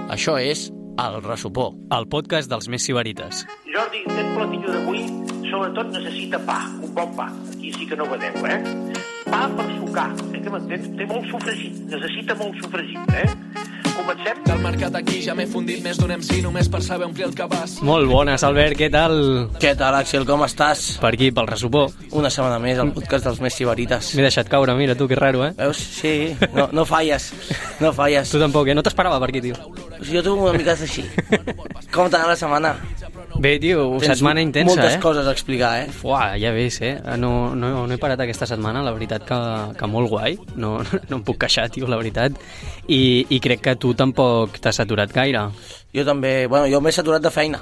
Això és El Ressupó, el podcast dels més sibarites. Jordi, aquest platillo d'avui sobretot necessita pa, un bon pa. Aquí sí que no vedeu, Pa per sucar, que m'entens? Té molt sofregit, necessita molt sofregit, Comencem? Del mercat aquí ja m'he fundit més d'un MC només per saber omplir el cabàs. Molt bones, Albert, què tal? Què tal, Axel, com estàs? Per aquí, pel Ressupó. Una setmana més, al podcast dels més sibarites. M'he deixat caure, mira tu, que raro, Veus? Sí, no falles, no falles. Tu tampoc, no t'esperava per aquí, tio. Jo tu una mica així. Com t'ha anat la setmana? Bé, tio, setmana intensa, moltes coses a explicar, Fuà, ja ves, No he parat aquesta setmana, la veritat que molt guai. No em puc queixar, tio, la veritat. I crec que tu tampoc t'has saturat gaire. Jo també, jo m'he saturat de feina.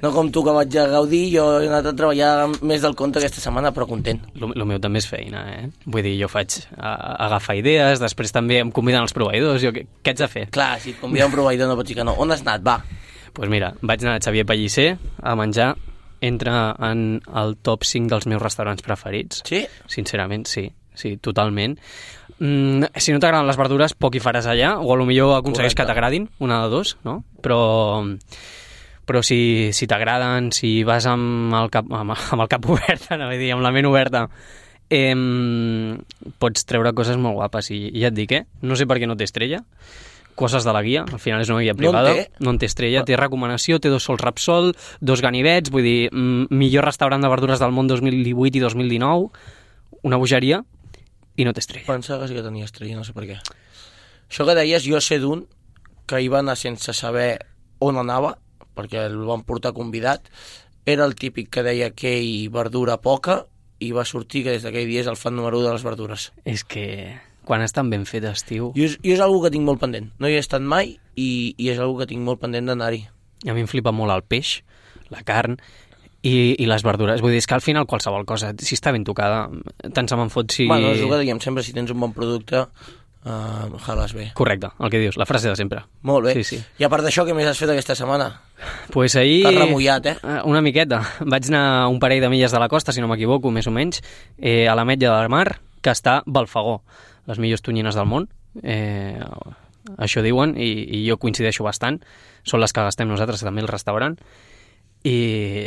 No com tu, que vaig a gaudir, jo he anat a treballar més del compte aquesta setmana, però content. Lo meu també és feina, Vull dir, jo faig agafar idees, després també em conviden els proveïdors. Què haig de fer? Clar, si et convida un proveïdor no pots dir que no. On has anat, va? Doncs mira, vaig anar a Xavier Pellicer a menjar. Entra en el top 5 dels meus restaurants preferits. Sí? Sincerament, sí, totalment. Si no t'agraden les verdures, poc hi faràs allà, o potser aconsegueix que t'agradin, una de dos, no? Però si t'agraden, si vas amb el cap obert, amb la ment oberta, pots treure coses molt guapes. I ja et dic, no sé per què no té estrella. Coses de la guia, al final és una guia privada, no en té estrella, té recomanació, té 2 sols Repsol, 2 ganivets, vull dir, millor restaurant de verdures del món 2018 i 2019, una bogeria, i no té estrella. Pensava que sí que tenia estrella, no sé per què. Això que deies, jo sé d'un que hi va anar sense saber on anava, perquè el van portar convidat, era el típic que deia que hi verdura poca, i va sortir que des d'aquell dia és el fan número 1 de les verdures. És que quan estan ben fetes, tio. Jo és algo que tinc molt pendent. No hi he estat mai i és algo que tinc molt pendent d'anar-hi. A mi em flipa molt el peix, la carn i les verdures. Vull dir, és que al final qualsevol cosa, si està ben tocada, tant se me'n fot si... Bueno, és el que diguem sempre, si tens un bon producte, jales bé. Correcte, el que dius, la frase de sempre. Molt bé. Sí. I a part d'això, què més has fet aquesta setmana? Pues ahir... T'has remullat, Una miqueta. Vaig anar a un parell de milles de la costa, si no m'equivoco, més o menys, a l'Ametlla del Mar, que està a Balfagó, les millors tonyines del món, això diuen, i jo coincideixo bastant, són les que gastem nosaltres també al restaurant, i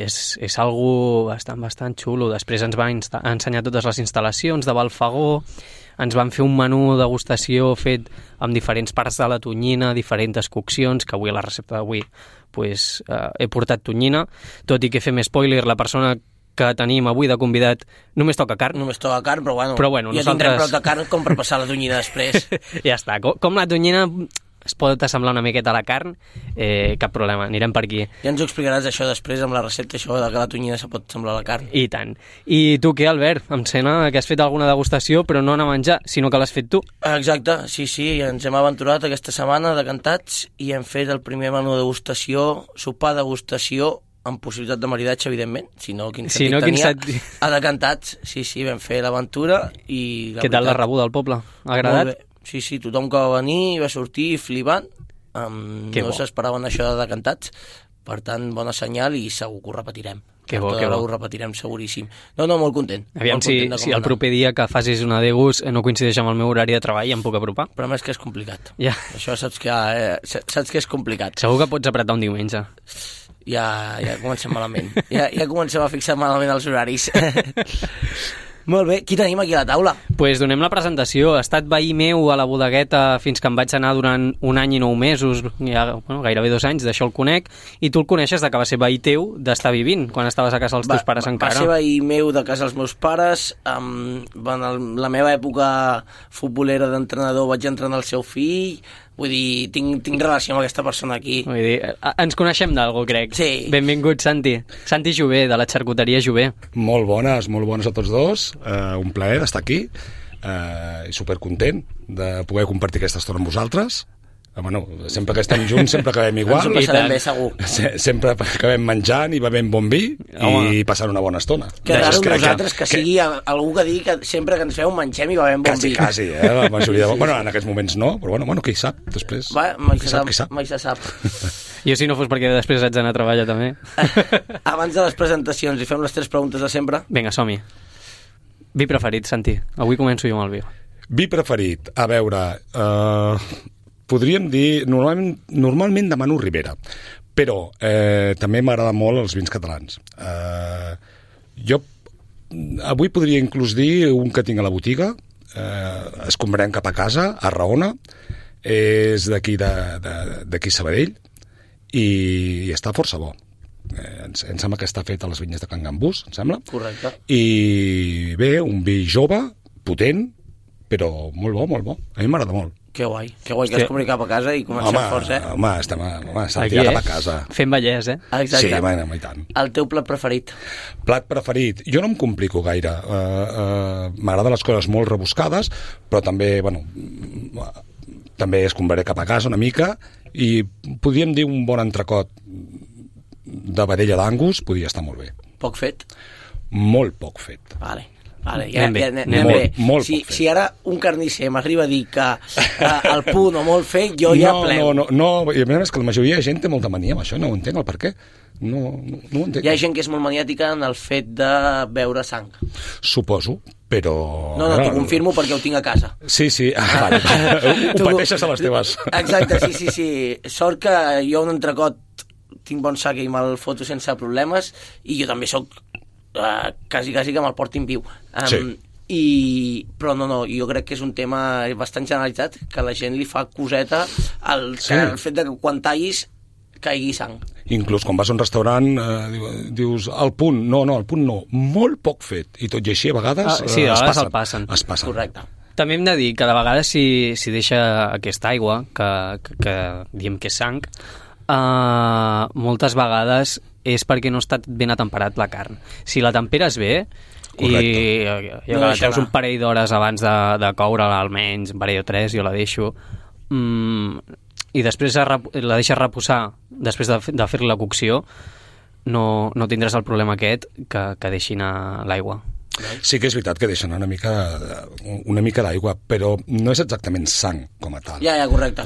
és algo bastant xulo. Després ens va ensenyar totes les instal·lacions de Balfagó, ens van fer un menú de degustació fet amb diferents parts de la tonyina, diferents coccions, que avui a la recepta d'avui he portat tonyina, tot i que fem spoiler, la persona que tenim avui de convidat només toca carn. Però bueno, ja tindrem prou de carn com per passar la tonyina després. Ja està. Com la tonyina es pot assemblar una miqueta a la carn, cap problema, anirem per aquí. Ja ens ho explicaràs això després amb la recepta, això de que la tonyina se pot semblar a la carn. I tant. I tu què, Albert? Em sembla que has fet alguna degustació, però no anar a menjar, sinó que l'has fet tu. Exacte, sí, ens hem aventurat aquesta setmana decantats i hem fet el primer menú de degustació, sopar degustació, amb possibilitat de maridatge, evidentment, si no, quin sentit tenia, a decantats. Sí, vam fer l'aventura i... Què tal la rebuda al poble? Ha agradat? Molt bé. Sí, tothom que va venir va sortir flipant, no s'esperaven això de decantats, per tant, bona senyal i segur que ho repetirem. Que bo. Ho repetirem seguríssim. No, molt content. Aviam si el proper dia que facis una degus no coincideix amb el meu horari de treball i em puc apropar. Però més que és complicat. Ja. Això saps que és complicat. Segur que pots apretar un diumenge. Ja comencem malament. Ja comencem a fixar malament els horaris. Molt bé, qui tenim aquí a la taula? Doncs donem la presentació. Ha estat veí meu a la bodegueta fins que em vaig anar durant 1 any i 9 mesos, gairebé 2 anys, d'això el conec, i tu el coneixes de que va ser veí teu d'estar vivint, quan estaves a casa dels teus pares encara. Va ser veí meu de casa dels meus pares, en la meva època futbolera d'entrenador vaig entrenar el seu fill. Vull dir, tinc relació amb aquesta persona aquí. Vull dir, ens coneixem d'algú, crec. Sí. Benvingut, Santi. Santi Jové, de la xarcuteria Jové. Molt bones a tots dos. Un plaer estar aquí. I supercontent de poder compartir aquesta estona amb vosaltres. Bueno, sempre que estem junts sempre acabem igual. Ens ho passarem bé, segur. Sempre acabem menjant i bevent bon vi i passant una bona estona. Que raro nosaltres que sigui algú que digui que sempre que ens feu mengem i bevem bon vi. Quasi, la majoria de... Bueno, en aquests moments no, però bueno, qui sap, després. Mai se sap. Jo si no fos perquè després haig d'anar a treballar també. Abans de les presentacions, li fem les 3 preguntes de sempre. Vinga, som-hi. Vi preferit, Santi. Avui començo jo amb el vi. Vi preferit, a veure, podríem dir, normalment demano Ribera, però també m'agraden molt els vins catalans. Jo avui podria inclús dir un que tinc a la botiga, escombrem cap a casa, a Raona, és d'aquí Sabadell, i està força bo. Em sembla que està fet a les vinyes de Can Gambús, em sembla. Correcte. I bé, un vi jove, potent, però molt bo, molt bo. A mi m'agrada molt. Que guai que es comuni cap a casa i comencem forts, Home, s'ha de tirar cap a casa. Fent Vallès, Exacte. Sí, i tant. El teu plat preferit? Plat preferit? Jo no em complico gaire. M'agraden les coses molt rebuscades, però també, també escombraré cap a casa una mica, i podríem dir un bon entrecot de vedella d'Angus podria estar molt bé. Poc fet? Molt poc fet. Vale, anem bé. Molt si ara un carnisser m'arriba a dir que el punt o molt fet, jo ja plego. No, i a més que la majoria de gent té molta mania amb això, no ho entenc el per què. No ho entenc. Hi ha gent que és molt maniàtica en el fet de beure sang. Suposo, però... No, t'ho confirmo perquè ho tinc a casa. Sí, vale. Ho pateixes a les teves. Exacte, sí. Sort que jo un entrecot tinc bon sac i me'l foto sense problemes, i jo també soc quasi que me'l portin viu. Sí. Però no, jo crec que és un tema bastant generalitzat, que a la gent li fa coseta el fet de que quan tallis caigui sang. Inclús quan vas a un restaurant dius al punt, no, molt poc fet, i tot i així a vegades el passen. Es passen. Correcte. També hem de dir que de vegades si deixa aquesta aigua que diem que és sang, moltes vegades és perquè no ha estat ben atemperat la carn. Si la temperes bé, correcte, i la treus un parell d'hores abans de coure-la, almenys un parell o 3, jo la deixo, i després la deixes reposar després de fer la cocció, no tindràs el problema aquest que deixi anar l'aigua. Sí que és veritat que deixen una mica d'aigua, però no és exactament sang com a tal. Ja, correcte.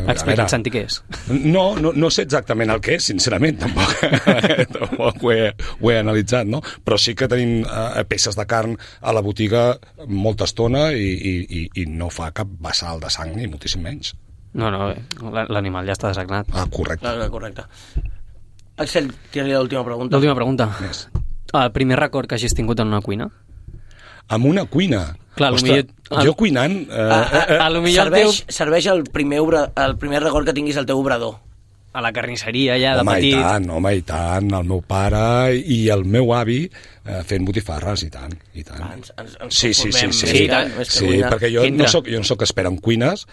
Explica't, Santi, què és? No sé exactament el que és, sincerament, tampoc ho he analitzat, no? Però sí que tenim peces de carn a la botiga molta estona i no fa cap vessal de sang, ni moltíssim menys. No, l'animal ja està desagnat. Correcte. Correcte. Axel, tira-li l'última pregunta. L'última pregunta. Yes. El primer record que hagis tingut en una cuina? Amb una cuina? Clar, ostres, jo cuinant... Serveix el primer record que tinguis al teu obrador. A la carnisseria, ja, de petit. Home, i tant, el meu pare i el meu avi fent botifarres, i tant. Sí, perquè jo no soc expert en cuines,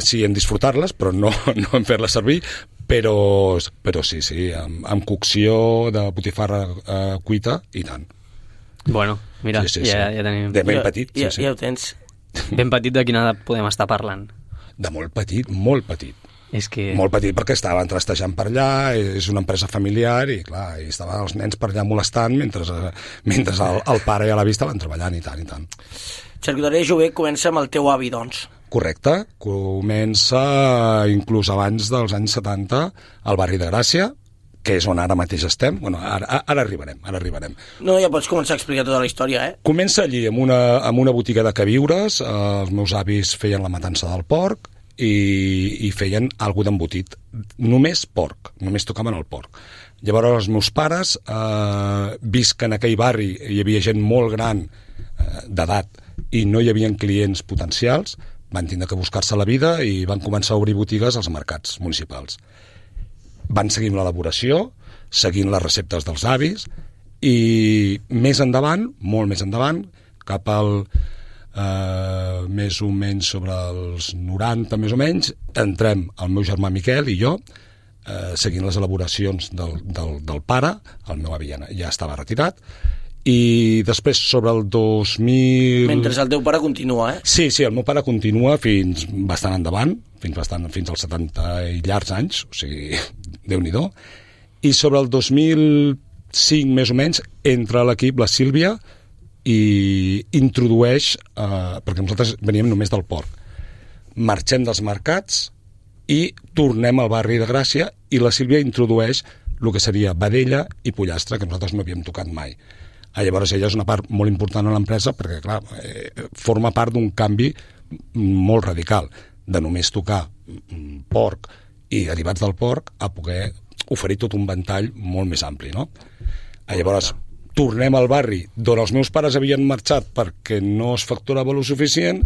sí en disfrutar-les, però no en fer-les servir, però sí, amb cocció de botifarra cuita, i tant. Bueno, mira, sí. Ja tenim... De ben petit, sí. Ja ho tens. Ben petit, de quina edat podem estar parlant? De molt petit, molt petit. És que... Molt petit, perquè estaven trastejant per allà, és una empresa familiar, i clar, estaven els nens per allà molestant mentre el pare i l'avi estaven treballant, i tant. Xarcuteria Jover comença amb el teu avi, doncs. Correcte, comença inclús abans dels anys 70 al barri de Gràcia, que és on ara mateix estem. Bueno, ara arribarem. No, ja pots començar a explicar tota la història, Comença allí, amb una botiga de queviures. Els meus avis feien la matança del porc i feien alguna d'embotit. Només porc, només tocaven el porc. Llavors els meus pares, vist que en aquell barri hi havia gent molt gran d'edat i no hi havia clients potencials, van tindre que buscar-se la vida i van començar a obrir botigues als mercats municipals. Van seguir amb l'elaboració, seguint les receptes dels avis, i més endavant, molt més endavant, cap al més o menys sobre els 90 més o menys, entrem el meu germà Miquel i jo, seguint les elaboracions del pare. El meu avi ja estava retirat, i després sobre el 2000... Mentre el teu pare continua, Sí, el meu pare continua fins bastant endavant, fins als 70 i llargs anys, o sigui, Déu-n'hi-do. I sobre el 2005 més o menys entra a l'equip la Sílvia i introdueix, perquè nosaltres veníem només del porc, marxem dels mercats i tornem al barri de Gràcia, i la Sílvia introdueix el que seria vedella i pollastre, que nosaltres no havíem tocat mai. Llavors ella és una part molt important a l'empresa perquè, clar, forma part d'un canvi molt radical de només tocar porc i derivats del porc a poder oferir tot un ventall molt més ampli, no? Llavors, tornem al barri d'on els meus pares havien marxat perquè no es facturava lo suficient,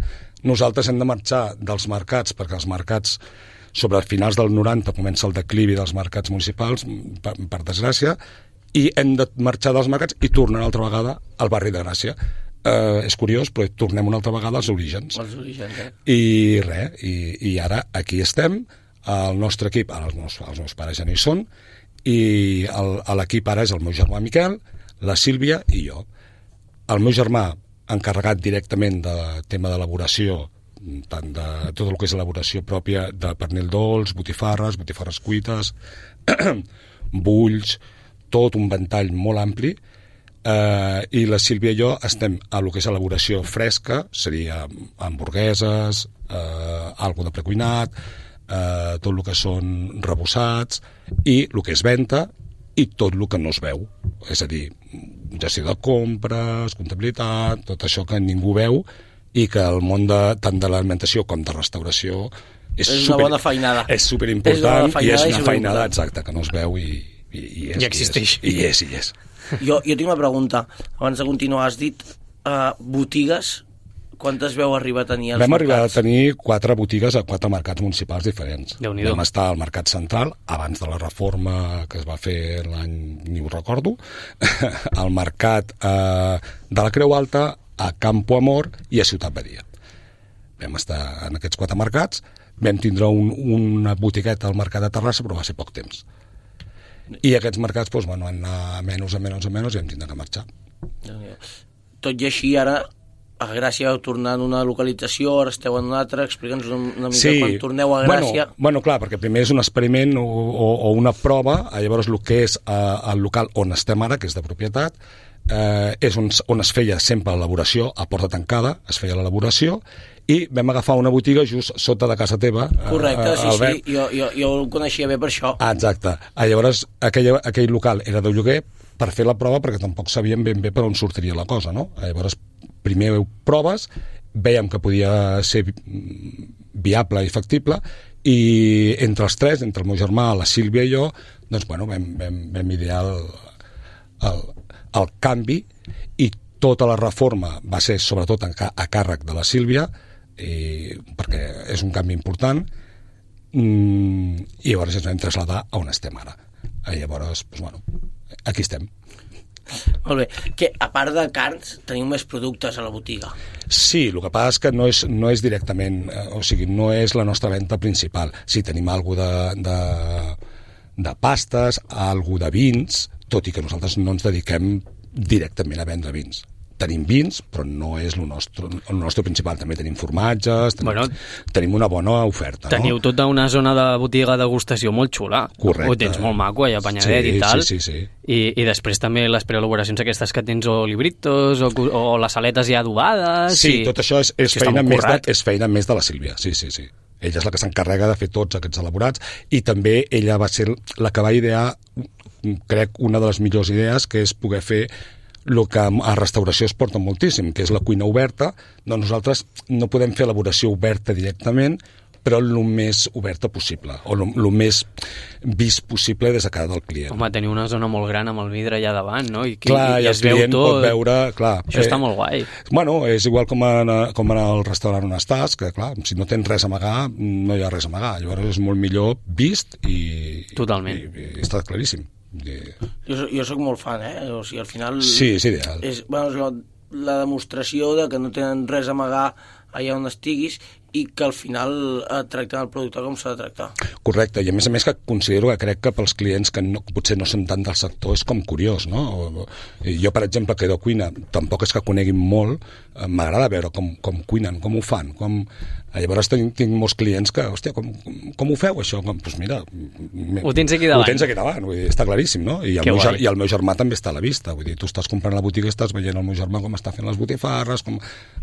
nosaltres hem de marxar dels mercats perquè els mercats, sobre els finals del 90, comença el declivi dels mercats municipals, per desgràcia, i hem de marxar dels mercats i tornar una altra vegada al barri de Gràcia. És curiós, però tornem una altra vegada als orígens. I res, i ara aquí estem, el nostre equip, ara els meus pares ja no hi són, i l'equip ara és el meu germà Miquel, la Sílvia i jo. El meu germà, encarregat directament del tema d'elaboració, tant de tot el que és elaboració pròpia de pernil dolç, botifarres cuites, bulls, tot un ventall molt ampli, i la Sílvia i jo estem a lo que és elaboració fresca, seria hamburgueses, algo de precuinat, tot el que són rebossats, i el que és venda, i tot el que no es veu. És a dir, gestió de compres, comptabilitat, tot això que ningú veu i que el món tant de l'alimentació com de restauració és una bona feinada. És superimportant i és una feinada exacta que no es veu i existeix. I és. Jo tinc una pregunta. Abans de continuar, has dit botigues. Quantes veu arribar a tenir als mercats? Vam arribar a tenir 4 botigues a 4 mercats municipals diferents. Déu-n'hi-do. Vam estar al Mercat Central, abans de la reforma que es va fer l'any, ni ho recordo, al Mercat de la Creu Alta, a Campo Amor i a Ciutat Badia. Vam estar en aquests 4 mercats, vam tindre una botigueta al Mercat de Terrassa, però va ser poc temps. I aquests mercats van anar a menys i vam tindre que marxar. Tot i així, ara a Gràcia vau tornar en una localització, ara esteu en una altra, explica'ns una mica quan torneu a Gràcia. Bueno, clar, perquè primer és un experiment o una prova, llavors el que és el local on estem ara, que és de propietat, és on es feia sempre l'elaboració, a porta tancada, es feia l'elaboració, i vam agafar una botiga just sota de casa teva. Correcte, sí, jo el coneixia bé per això. Exacte. Llavors, aquell local era de lloguer per fer la prova, perquè tampoc sabíem ben bé per on sortiria la cosa, no? Llavors, primer proves, veiem que podia ser viable i factible, i entre els 3, entre el meu germà, la Sílvia i jo, doncs, vam idear el canvi, i tota la reforma va ser sobretot a càrrec de la Sílvia, perquè és un canvi important, i llavors ens vam traslladar a on estem ara. Llavors, aquí estem. Molt bé, que a part de carns teniu més productes a la botiga. Sí, el que passa és que no és directament, o sigui, no és la nostra venda principal. Sí, tenim alguna de pastes, alguna de vins, tot i que nosaltres no ens dediquem directament a vendre vins. Tenim vins, però no és el nostre principal. També tenim formatges, tenim una bona oferta. Teniu tota una zona de botiga de degustació molt xula. Correcte. Ho tens molt maco, allà a Panyadet i tal. Sí. I després també les preelaboracions aquestes que tens, o libritos, o les aletes ja adobades. Sí, tot això és feina més de la Sílvia, sí. Ella és la que s'encarrega de fer tots aquests elaborats, i també ella va ser la que va idear, crec, una de les millors idees, que és poder fer el que a restauració es porta moltíssim, que és la cuina oberta. Doncs nosaltres no podem fer elaboració oberta directament, però el més oberta possible, o el més vist possible des de cara del client. Home, teniu una zona molt gran amb el vidre allà davant, no? I el client pot veure... Clar, això està molt guai. Bueno, és igual com en el restaurant on estàs, que clar, si no tens res a amagar, no hi ha res a amagar. Llavors és molt millor vist i... Totalment. I està claríssim. Jo soc molt fan, o sigui, al final... Sí, és ideal. És la demostració de que no tenen res a amagar allà on estiguis, i que al final tracten el producte com s'ha de tractar. Correcte, i a més que considero que crec que pels clients que potser no són tant del sector és com curiós, no? Jo, per exemple, que de cuina tampoc és que coneguin molt, m'agrada veure com cuinen, com ho fan, Llavors tinc molts clients que, hòstia, com ho feu això? Doncs mira... Ho tens aquí davant. Ho tens aquí davant, vull dir, està claríssim, no? I el meu germà també està a la vista, vull dir, tu estàs comprant la botiga i estàs veient el meu germà com està fent les botifarres,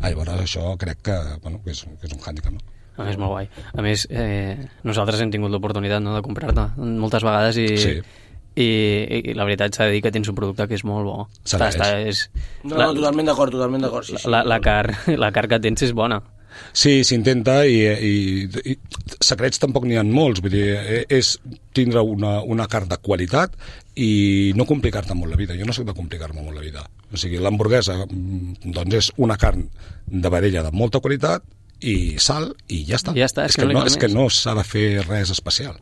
llavors això crec que és un hàndicap, no? És molt guai. A més, nosaltres hem tingut l'oportunitat de comprar-te moltes vegades i la veritat s'ha de dir que tens un producte que és molt bo. No, totalment d'acord. Sí. La carn que tens és bona. Sí, s'intenta i secrets tampoc n'hi ha molts, vull dir, és tindre una carn de qualitat i no complicar-te molt la vida. Jo no soc de complicar-me molt la vida. O sigui, l'hamburguesa doncs és una carn de vedella de molta qualitat i sal i ja està. És que no s'ha de fer res especial.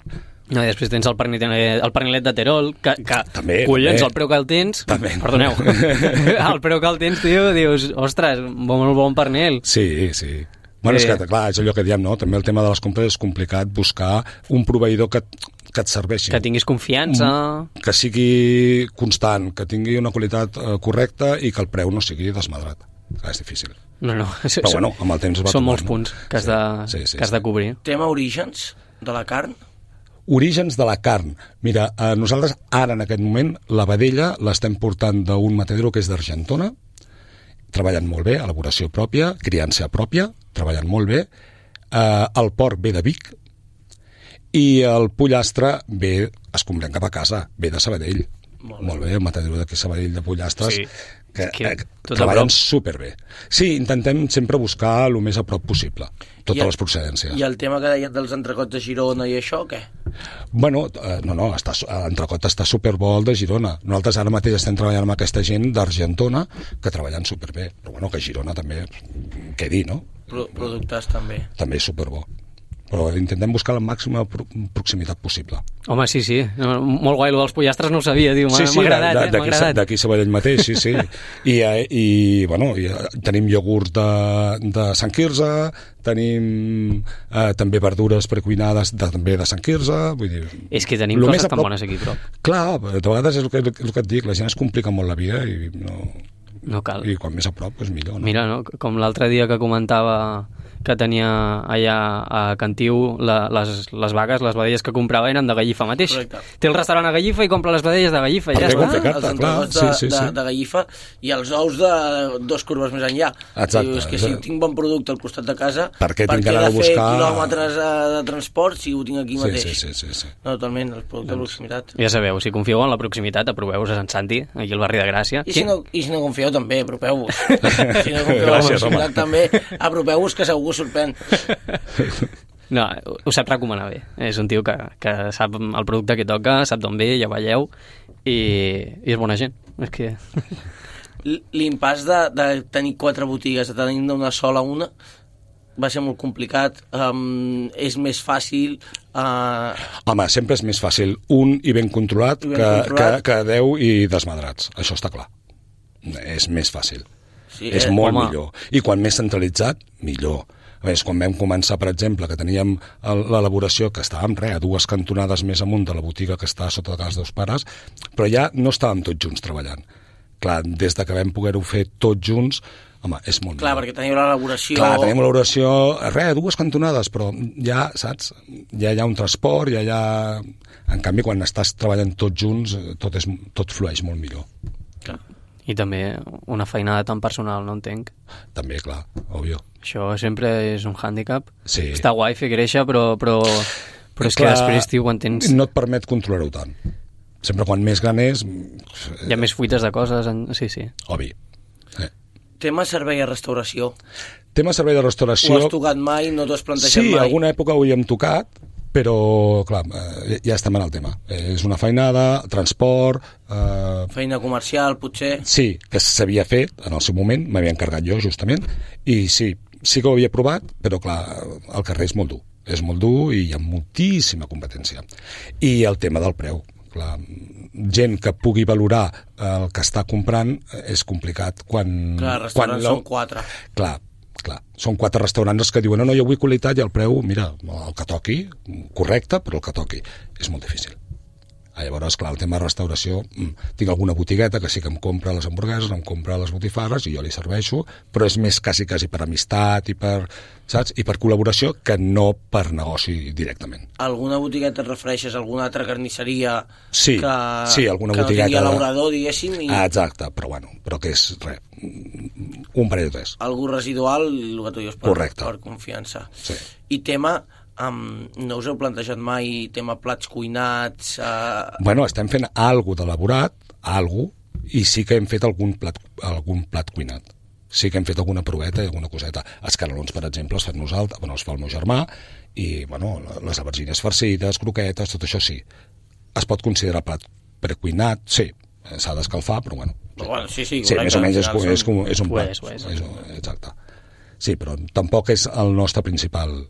No, i després tens el pernilet de Terol, que també, collons, també. El preu que el tens... També. Perdoneu. El preu que el tens, tio, dius, ostres, molt bon pernil. Sí. Bueno, és que, clar, és allò que diem, no? També el tema de les compres és complicat buscar un proveïdor que et serveixi. Que tinguis confiança. Que sigui constant, que tingui una qualitat correcta i que el preu no sigui desmadrat. Clar, és difícil. No. Però bueno, amb el temps es va són tomar, molts punts que has de cobrir. Tema orígens de la carn? Orígens de la carn. Mira, nosaltres ara en aquest moment la vedella l'estem portant d'un matadero que és d'Argentona, treballant molt bé, elaboració pròpia, criança pròpia, treballant molt bé. El porc ve de Vic i el pollastre ve, es comprèn cap a casa, ve de Sabadell. Molt bé, el matadero d'aquí Sabadell de pollastres, que treballen superbé. Sí, intentem sempre buscar el més a prop possible, totes les procedències. I el tema que deies dels entrecots de Girona i això, què? Bueno, l'entrecot està superbo el de Girona. Nosaltres ara mateix estem treballant amb aquesta gent d'Argentona que treballen superbé, però bueno, que Girona també, què dir, no? Productes també. També és superbo. Però intentem buscar la màxima proximitat possible. Home, sí. Molt guai, dels pollastres no ho sabia, tio. M'ha agradat. D'aquí Sabadell mateix, sí. I tenim iogurts de Sant Quirze, tenim també verdures precuinades també de Sant Quirze, vull dir... És que tenim coses tan bones aquí, però... Clar, de vegades és el que et dic, la gent es complica molt la vida i no cal. I quan més a prop, és millor. No? Mira, no? Com l'altre dia que comentava que tenia allà a Cantiu les vagues, les vedelles que comprava eren de Gallifa mateix. Correcte. Té el restaurant a Gallifa i compra les vedelles de Gallifa. Ja està. Els entrecots de Gallifa i els ous de 2 curves més enllà. Exacte. Dius que si tinc bon producte al costat de casa, per què tinc d'anar a buscar quilòmetres de transport si ho tinc aquí mateix? Sí. No, totalment, el producte de proximitat. Ja sabeu, si confieu en la proximitat, aproveu-vos a Sant Santi, aquí al barri de Gràcia. I si no confieu també, apropeu-vos. Si no confieu en la proximitat també, apropeu-vos que segur sorprèn. No, ho sap recomanar bé. És un tio que sap el producte que toca, sap d'on ve, ja veieu, i és bona gent. És que... L'impàs de tenir 4 botigues, de tenir una sola una, va ser molt complicat. És més fàcil... Home, sempre és més fàcil un i ben controlat que 10 i desmadrats. Això està clar. És més fàcil. Sí, és molt millor. I quan més centralitzat, millor. A més, quan vam començar, per exemple, que teníem l'elaboració, que estàvem a 2 cantonades més amunt de la botiga que està sota de casa dels pares, però ja no estàvem tots junts treballant. Clar, des de que vam poder-ho fer tots junts, home, és molt millor. Clar, perquè teniu l'elaboració... Clar, tenim l'elaboració, 2 cantonades, però ja, saps, ja hi ha un transport, ja hi ha... En canvi, quan estàs treballant tots junts, tot flueix molt millor. Clar. I també una feinada tan personal, no entenc. També, clar, òbvio. Això sempre és un hàndicap. Sí. Està guai fer créixer, però és que després, tio, quan tens... No et permet controlar-ho tant. Sempre quan més gran és... Hi ha més fuites de coses, sí. Obvi. Tema servei a restauració. Tema servei de restauració... Ho has tocat mai? No t'ho has plantejat mai? Sí, alguna època ho hi hem tocat, però, clar, ja estem en el tema. És una feinada, transport... Feina comercial, potser? Sí, que s'havia fet en el seu moment, m'havia encarregat jo, justament, i sí que ho havia provat, però, clar, el carrer és molt dur. És molt dur i hi ha moltíssima competència. I el tema del preu. Clar, gent que pugui valorar el que està comprant és complicat quan... Clar, restaurants són 4. Clar, són 4 restaurants que diuen no, jo vull qualitat i el preu, mira, el que toqui, correcte, però el que toqui. És molt difícil. Llavors, clar, el tema de restauració, tinc alguna botigueta que sí que em compra les hamburgueses, em compra les botifarres i jo li serveixo, però és més quasi per amistat i per, saps? I per col·laboració que no per negoci directament. Alguna botigueta et refereixes a alguna altra carnisseria sí, alguna que botigueta... no tingui l'obrador, diguéssim? Exacte, però que és res, un parell de tres. Algú residual, el que tu dius, per confiança. Sí. I tema no us heu plantejat mai tema plats cuinats? Bueno, estem fent alguna d'elaborat, i sí que hem fet algun plat cuinat. Sí que hem fet alguna proveta i alguna coseta. Els canelons, per exemple, els fem nosaltres, bueno, els fa el meu germà, i bueno, les albergines farcides, croquetes, tot això sí. Es pot considerar plat precuinat, sí, s'ha d'escalfar, però bueno. Sí, sí, més o menys és un plat. Exacte. Sí, però tampoc és el nostre principal,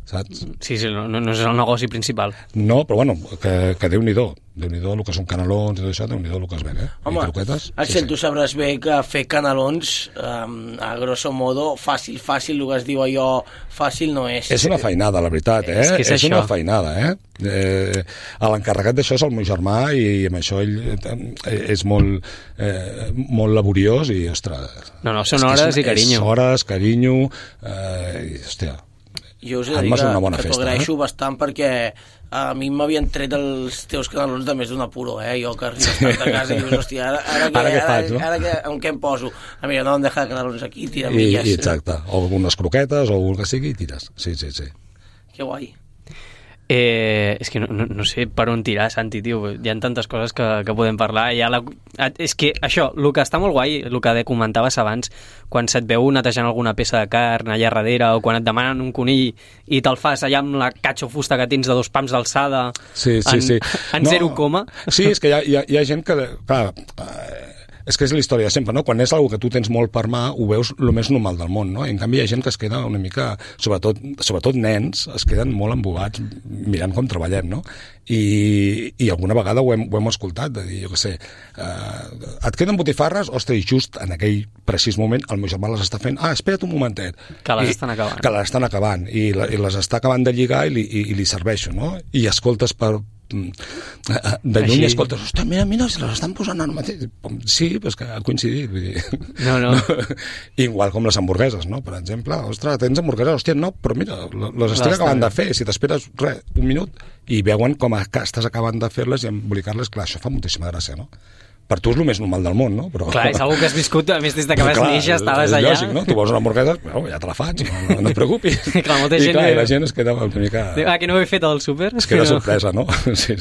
saps? Sí, no és el negoci principal. No, però bueno, que Déu-n'hi-do el que són canelons i tot això, Déu-n'hi-do el que es ven, Home, Axel, tu sabràs bé que fer canelons, a grosso modo, fàcil, el que es diu allò, fàcil no és. És una feinada, la veritat, És una feinada, L'encarregat d'això és el meu germà i amb això ell és molt laboriós i, ostres... No, són hores i carinyo. Hores, carinyo, i, hòstia... Jo us he de dir que t'ho agraeixo bastant perquè a mi m'havien tret els teus canelons de més d'un apuro, jo que arribes tant a casa i dius, hòstia, ara que en què em poso? A mi no em deixa de canelons aquí, tira milles. Exacte, o algunes croquetes o el que sigui i tires, sí. Que guai. És que no sé per on tirar, Santi, tio. Hi ha tantes coses que podem parlar. És que això, el que està molt guai, el que comentaves abans, quan se't veu netejant alguna peça de carn allà darrere, o quan et demanen un conill i te'l fas allà amb la catxa o fusta que tens de 2 pams d'alçada en 0, Sí, és que hi ha gent que... Clar, és que és la història de sempre, no? Quan és algo que tu tens molt per mà, ho veus el més normal del món, no? I en canvi hi ha gent que es queda una mica, sobretot nens, es queden molt embobats mirant com treballem, no? I alguna vegada ho hem escoltat, de dir, jo què sé, et queden botifarres, ostres, i just en aquell precís moment el meu germà les està fent, espera't un momentet. Que les estan acabant. Que les estan acabant, i les està acabant de lligar i li serveixo, no? I escoltes de lluny i escoltes, ostres, mira, se les estan posant ara mateix. Sí, però és que ha coincidit, vull dir. No. Igual com les hamburgueses, no? Per exemple, ostres, tens hamburgueses, hòstia, no, però mira, les estic acabant de fer, si t'esperes un minut i veuen com estàs acabant de fer-les i embolicar-les, clar, això fa moltíssima gràcia, no? Per tu és el més normal del món, no? Però... Clar, és algo que has viscut, a més, des que vas néixer, estaves allà. És lògic, no? Tu vols una hamburguesa, ja te la faig, no et preocupis. Clar, molta gent... I la gent es queda una mica... que no ho he fet al súper? Es queda sorpresa, no? Sí.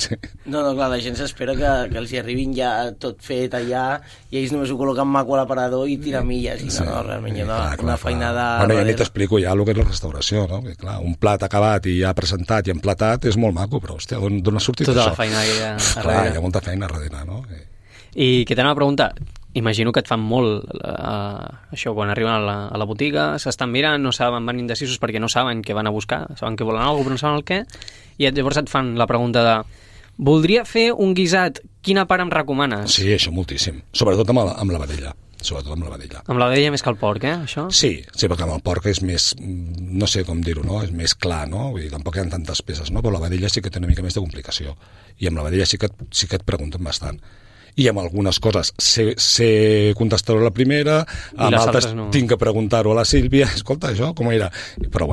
No, clar, la gent s'espera que els hi arribin ja tot fet allà i ells només ho col·loquen maco a l'aparador i tiren milles. No, realment hi ha una feinada... Bueno, ja ni t'explico ja el que és la restauració, no? Perquè, clar, un plat acabat i ja presentat i emplatat és molt maco, però, hòstia, d'on ha sortit tota això? Tota la feina que hi ha darrere. Clar, hi ha molta feina darrere, no? I que t'anava a preguntar, imagino que et fan molt això quan arriben a la botiga, s'estan mirant, no saben, van indecisos perquè no saben què van a buscar, saben que volen alguna cosa però no saben el què, i llavors et fan la pregunta de voldria fer un guisat, quina part em recomanes? Sí, això moltíssim, sobretot amb la vedella. Amb la vedella més que el porc, això? Sí, perquè amb el porc és més, no sé com dir-ho, no? És més clar, no? Vull dir, tampoc hi ha tantes peces, no? Però la vedella sí que té una mica més de complicació. I amb la vedella sí que et pregunten bastant. I amb algunes coses sé contestar-ho a la primera, amb altres no. Tinc que preguntar-ho a la Sílvia, escolta, això com era? Però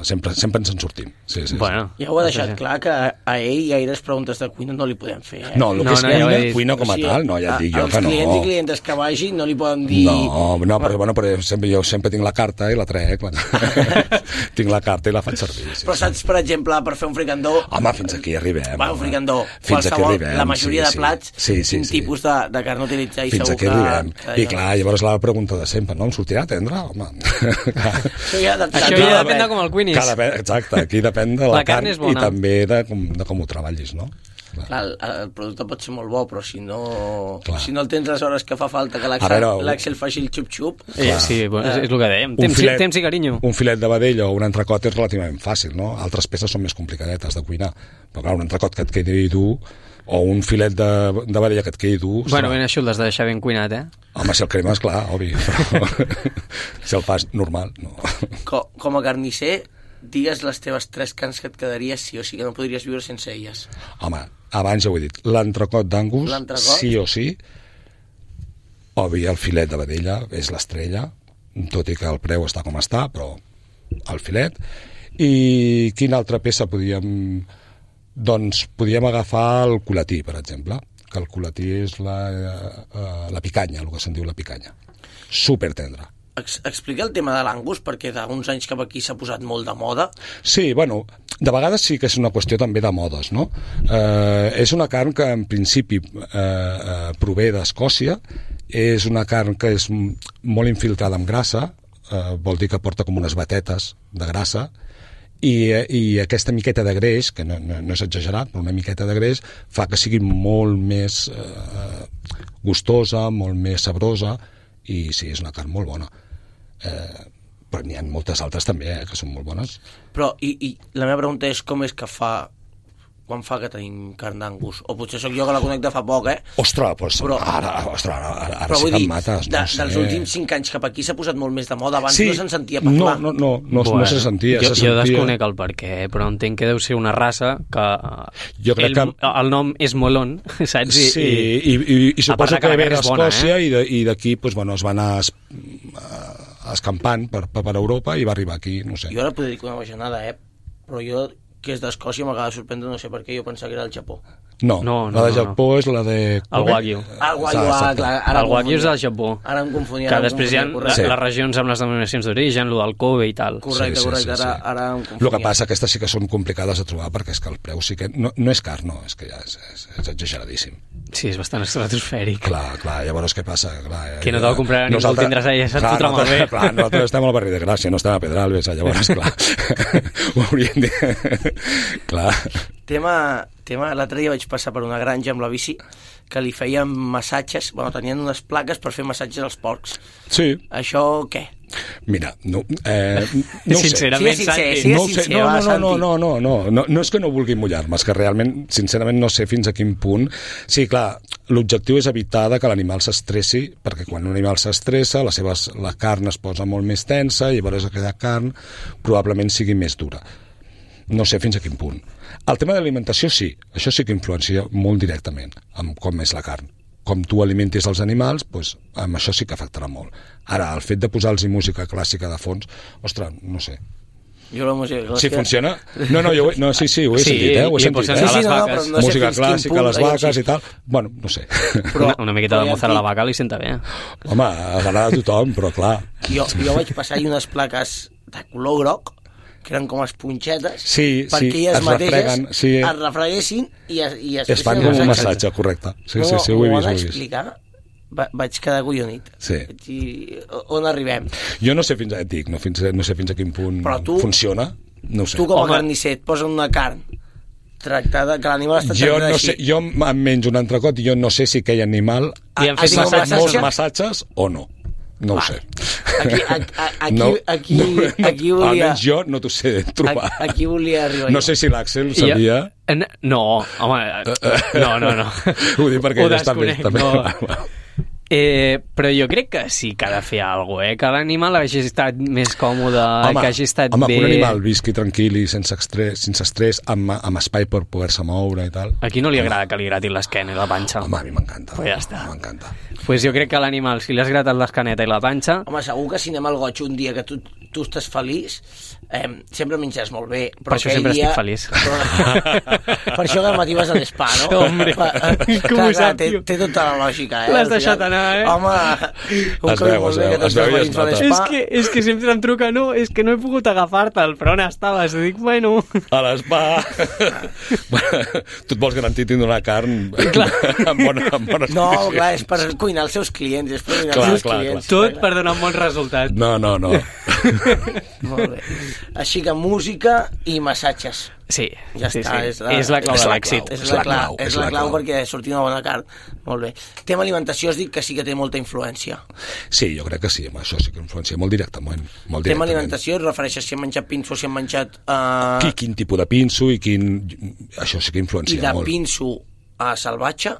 sempre ens en sortim. Sí. Bueno, ja ho ha deixat clar que a ell gaires preguntes de cuina no li podem fer. No, el que és cuina com a tal, no, ja et dic jo que no. Els clients i clientes que vagin no li poden dir... No, però jo sempre tinc la carta i la trec. Tinc la carta i la faig servir. Però saps, per exemple, per fer un fricandó... Home, fins aquí arribem. Un fricandó, qualsevol, la majoria de plats... Sí. Tipus de carn utilitzar i fins segur aquí arribem. I clar, llavors la pregunta de sempre, no? Em sortirà tendre? Home. Això ja depèn de com el cuinis. Exacte, aquí depèn de la carn i també de com ho treballis, no? Clar, el producte pot ser molt bo, però si no el tens les hores que fa falta que l'Axel faci el xup-xup... Sí, és el que dèiem, temps i carinyo. Un filet de vedella o un entrecot és relativament fàcil, no? Altres peces són més complicadetes de cuinar, però clar, un entrecot que et quedi dur o un filet de vedella que et quedi dur... Bueno, ben això l'has de deixar ben cuinat, Home, si el cremes, clar, obvi, però si el fas normal, no. Com a carnisser, digues les teves 3 carns que et quedaries sí o sí, que no podries viure sense elles. Home, abans ja ho he dit, l'entrecot d'Angus, sí o sí, obvi, el filet de vedella és l'estrella, tot i que el preu està com està, però el filet. I quina altra peça podíem... Doncs podíem agafar el culatí, per exemple, que el culatí és la picanya, el que se'n diu la picanya. Supertendre. explica el tema de l'Angus, perquè d'uns anys cap aquí s'ha posat molt de moda. Sí, bueno, de vegades sí que és una qüestió també de modes, no? És una carn que en principi prové d'Escòcia, és una carn que és molt infiltrada amb grassa, vol dir que porta com unes batetes de grassa, i aquesta miqueta de greix, que no és exagerat, però una miqueta de greix fa que sigui molt més gustosa, molt més sabrosa, i sí, és una carn molt bona. Però n'hi ha moltes altres també, que són molt bones. Però, i la meva pregunta és com és que quan fa que tenim carn d'Angus? O potser sóc jo que la conec de fa poc, Ostres, doncs però, ara però sí que em mates. Dels últims 5 anys cap aquí s'ha posat molt més de moda. Abans no se'n sentia parlar. No se sentia. Jo desconec el perquè, però entenc que deu ser una raça que el nom és Molon, saps? Sí, i suposo que ve d'Escòcia i d'aquí es va anar escampant per Europa i va arribar aquí, no sé. Jo ara podria dir que una bajanada, però jo, que és d'Escòcia, m'acaba de sorprendre, no sé per què, jo pensava que era el Japó. No, la de Japó és la de... El Wagyu. El Wagyu és del Japó. Ara em confonia. Que després hi ha les regions amb les denominacions d'origen, el del Kobe i tal. Correcte, ara em confonia. El que passa, aquestes sí que són complicades de trobar, perquè és que el preu sí que... No és car, no, és que ja és exageradíssim. Sí, és bastant estratosfèric. Clar, llavors què passa? Que no te va comprar ningú, el tindràs allà, se't fotrà malbé. Clar, nosaltres estem al barri de Gràcia, no estem a Pedralbes, llavors, clar, ho hauríem de... Clar. Tema, l'altre dia vaig passar per una granja amb la bici que li feien massatges, tenien unes plaques per fer massatges als porcs. Sí. Això què? Mira, no ho sincerament, sé. No és que no vulgui mullar-me, és que realment, sincerament, no sé fins a quin punt. Sí, clar, l'objectiu és evitar que l'animal s'estressi, perquè quan un animal s'estressa, la carn es posa molt més tensa, i llavors aquella carn probablement sigui més dura. No sé fins a quin punt. El tema de l'alimentació sí, això sí que influencia molt directament amb com és la carn. Com tu alimentis els animals, doncs, amb això sí que afectarà molt. Ara, el fet de posar-los música clàssica de fons, ostres, no sé. Jo la música clàssica... Si funciona... Sí, ho he sentit, ho he sentit. No música clàssica, les vaques i tal... Bueno, no sé. Una miqueta de mozart a la vaca li senta bé. Home, agrada a tothom, però clar... Jo vaig passar-hi unes plaques de color groc, que eren com esponxetes, perquè elles mateixes es refreguessin i es fan com un massatge, correcte. Sí, ho he vist. Explicar, vaig quedar collonit. Sí. On arribem? Jo no sé fins a quin punt funciona. No sé. Tu com a carnisser et posen una carn tractada, que l'animal està tractat així. Jo em menjo un entrecot i jo no sé si aquell animal ha fet molts massatges o no. No ho sé. Aquí volia... Almenys jo no t'ho sé trobar. Aquí volia arribar. No sé si l'Àxel sabia... No, home, no. Ho dic perquè ell està més també. Però jo crec que sí que ha de fer alguna cosa, que l'animal hagi estat més còmode, que hagi estat bé... que un animal visqui tranquil i sense estrès, amb espai per poder-se moure i tal. A qui no li agrada que li gratin l'esquena i la panxa? Home, a mi m'encanta. Pues ja està. M'encanta. Pues jo crec que l'animal, si li has gratat l'escaneta i la panxa... Home, segur que si anem al goig un dia que tu estàs feliç, sempre menjaràs molt bé. Per això sempre estic feliç. Per això que al matí vas a l'espa, no? Hombre, com ho sap, tio? Té tota la lògica, L'has deixat anar, Home, es veu i es nota. És que sempre em truca, no, és que no he pogut agafar-te'l, però on estaves? I dic, bueno... A l'espa. Tu et vols garantir tindre una carn amb bones No, clar, és per cuinar els seus clients, clients. Tot per donar un bon resultat. No. Molt bé. Així que música i massatges. Sí, ja està. És la clau de l'èxit. És la clau perquè surti una bona carn. Molt bé. Tema alimentació, has dit que sí que té molta influència. Sí, jo crec que sí, amb això sí que influencia molt directament. Tema alimentació, et refereixes si han menjat pinso, si han menjat... Quin tipus de pinso i quin... Això sí que influencia molt. I de pinso a salvatge?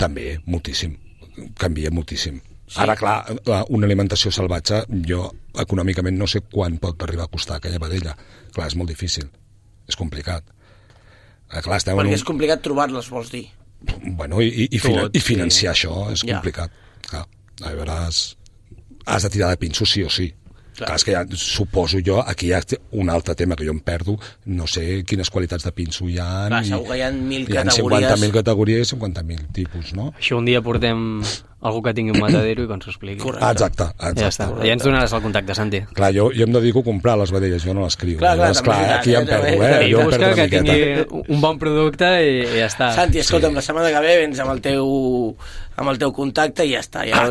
També, moltíssim. Canvia moltíssim. Sí. Ara, clar, una alimentació salvatge, jo econòmicament no sé quan pot arribar a costar aquella vedella. Clar, és molt difícil. És complicat. Clar, perquè és complicat trobar-les, vols dir? Bueno, i financiar això és complicat. Clar, a veure, has de tirar de pinso sí o sí. Clar, és que ja, suposo jo, aquí hi ha un altre tema que jo em perdo, no sé quines qualitats de pinso hi ha. Clar, segur que hi ha 1.000 hi ha categories. 50.000 categories i 50.000 tipus, no? Això un dia portem algú que tingui un matadero i que ens ho expliqui. Correcte. Exacte. Ja està. Ja ens donaràs el contacte, Santi. Clar, jo em dedico a comprar les vedelles, jo no les crio. Clar, Llavors, també, aquí ja em perdo, I jo em busca perdo una que miqueta. tingui un bon producte i ja està. Santi, escolta'm, la setmana que ve vens amb el teu contacte i ja està, ja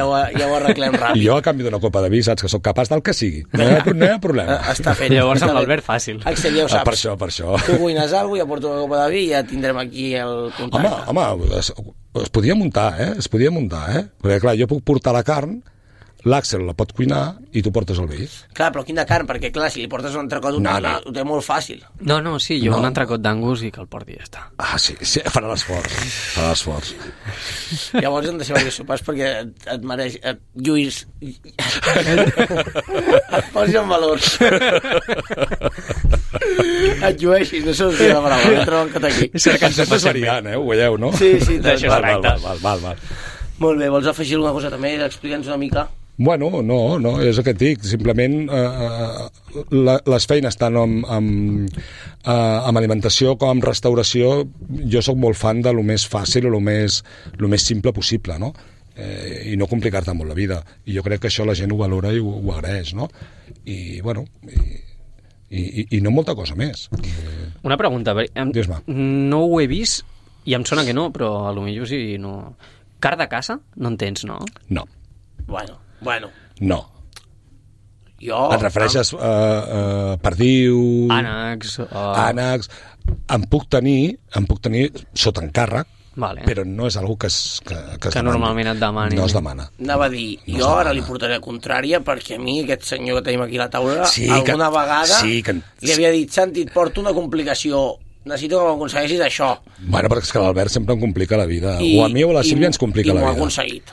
ho arreglem ràpid. I jo, a canvi d'una copa de vi, saps que sóc capaç del que sigui. No hi ha problema. Està fet. Llavors amb l'Albert fàcil. Axel, ja ho saps. Per això. Tu cuines alguna cosa, ja porto una copa de vi i ja tindrem aquí el contacte. Home, es podia muntar, Perquè, clar, jo puc portar la carn, l'Àxel la pot cuinar i tu portes el vi. Clar, però quina carn, perquè clar, si li portes un entrecot ho té molt fàcil. No, sí, jo un entrecot d'angus i que el porti i ja està. Ah, sí, farà l'esforç. Llavors hem de ser diversos sopars perquè et mereix... Lluís... et posis en valor. Et llueixis, no sé on la paraula, entra en aquí. Cercant sempre seriant, ho veieu, no? Sí, D'això es tracta. Val. Molt bé, vols afegir alguna cosa també? Explica'ns una mica. Bueno, no, és el que et dic. Simplement les feines tant amb alimentació com amb restauració, jo sóc molt fan de lo més fàcil o lo més simple possible, no? I no complicar-te molt la vida. I jo crec que això la gent ho valora i ho agraeix, no? I, bueno, i no molta cosa més. Una pregunta, Dius-me. no ho he vist i em sona que no, però a lo millor sí, no... Car de caça? No en tens, no? No. Bueno. No. Jo... Et refereixes a perdiu... Ànecs... Ànecs... Em puc tenir sota encàrrec, Vale. però no és algo que es normalment et demani. No es demana. Anava a dir, jo ara li portaré contrària perquè a mi aquest senyor que tenim aquí a la taula alguna vegada li havia dit, Santi, et porto una complicació, necessito que m'aconsegueixis això. Bueno, perquè és que l'Albert sempre em complica la vida. O a mi o a la Sílvia ens complica la vida. I m'ho ha aconseguit.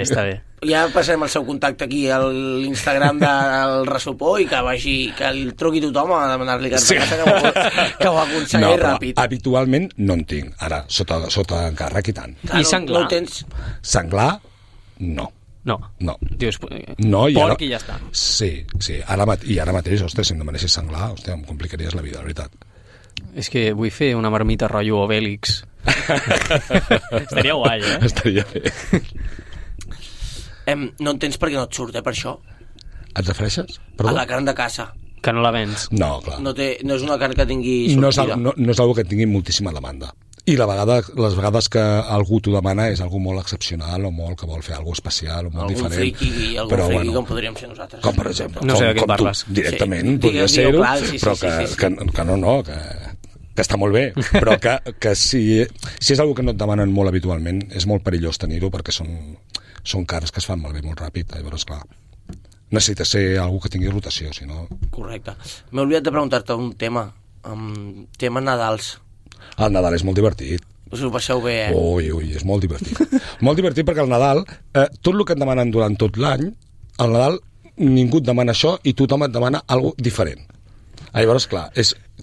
Està bé. Ja passarem el seu contacte aquí a l'Instagram del Resopó i que el truqui tothom a demanar-li que ho aconsegueix ràpid. Habitualment no en tinc. Ara, sota encàrrec i tant. I senglar? No tens... Senglar, no. No. Dius, no, porc i ja està. Sí. Ara mateix, ostres, si em demanessis senglar, em complicaries la vida, la veritat. És que vull fer una marmita rotllo Obélix. Estaria guai, Estaria bé. No en tens perquè no et surt, per això. Et refereixes? A la carn de caça. Que no la vens. No, clar. No és una carn que tingui sortida. No és algo que tingui moltíssima demanda. I les vegades que algú t'ho demana és algo molt excepcional o molt que vol fer algo especial o molt diferent. Algun friki com podríem ser nosaltres. Com, per exemple. No sé de què parles. Directament, podria ser-ho, però que està molt bé, però que si és algo que no et demanen molt habitualment, és molt perillós tenir-ho perquè són carns que es fan malbé molt ràpid. Llavors, clar, necessita ser algú que tingui rotació, si no... Correcte. M'he oblidat de preguntar-te un tema. Tema Nadals. El Nadal és molt divertit. Us ho passeu bé, Ui, és molt divertit. Molt divertit perquè el Nadal, tot el que et demanen durant tot l'any, al Nadal ningú et demana això i tothom et demana alguna cosa diferent. Llavors, clar,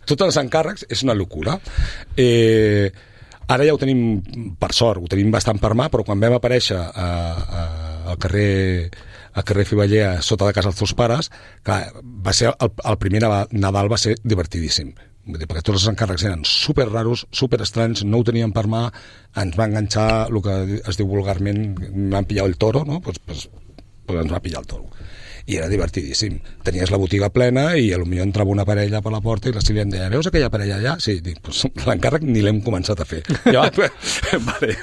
tots els encàrrecs és una locura. Ara ja ho tenim, per sort, ho tenim bastant per mà, però quan vam aparèixer al carrer Fiballea, sota de casa dels teus pares, clar, va ser el primer Nadal va ser divertidíssim. Vull dir, perquè tots els encàrrecs eren super raros, super estranys, no ho teníem per mà, ens va enganxar el que es diu vulgarment, van pillar el toro, no? Pues ens va pillar el toro. I era divertidíssim. Tenies la botiga plena i potser entrava una parella per la porta i la Sílvia em deia, veus aquella parella allà? Sí, dic, pues, l'encàrrec ni l'hem començat a fer. Jo, vale.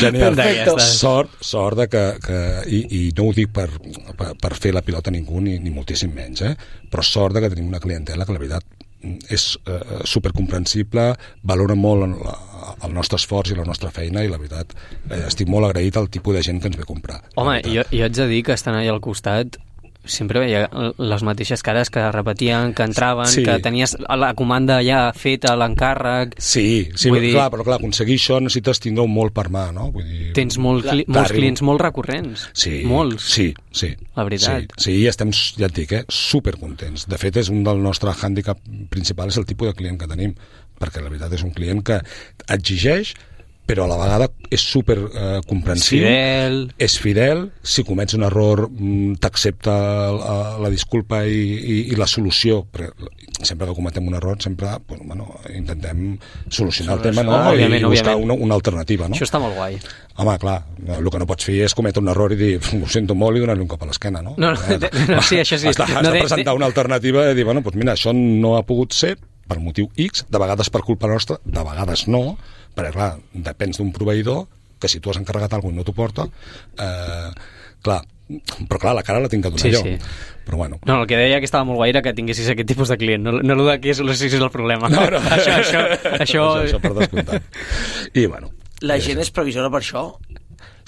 Genial. Perfecte. Sort de que i no ho dic per fer la pilota a ningú, ni moltíssim menys, però sort de que tenim una clientela que la veritat és supercomprensible, valora molt el nostre esforç i la nostra feina i la veritat estic molt agraït al tipus de gent que ens ve a comprar. Home, jo haig de dir que estan allà al costat sempre veia les mateixes cares que repetien, que entraven, que tenies la comanda ja feta, l'encàrrec... Sí, clar, però aconseguir això necessites tindre-ho molt per mà, no? Vull dir, tens molts clients molt recurrents. Sí, molts. Sí. La veritat. Sí, estem, ja et dic, supercontents. De fet, és un del nostre hàndicap principal, és el tipus de client que tenim, perquè la veritat és un client que exigeix però a la vegada és super comprensiu, és fidel, si comets un error t'accepta la disculpa i la solució, sempre que cometem un error sempre intentem solucionar el tema, no? I buscar una alternativa, no? Això està molt guai. Home, clar, el que no pots fer és cometre un error i dir, ho sento molt, i donar-li un cop a l'esquena, no? No, sí, això sí. Has de presentar una alternativa i dir, bueno, doncs mira, això no ha pogut ser per motiu X, de vegades per culpa nostra, de vegades no, perquè clar, depens d'un proveïdor que si tu has encarregat alguna cosa i no t'ho porta, clar, però clar, la cara la tinc que donar jo. Sí. Però bueno. No, el que deia que estava molt guai era que tinguessis aquest tipus de client, no el de que solucionis el problema. No. Això per descomptat. I bueno. La gent és previsora per això?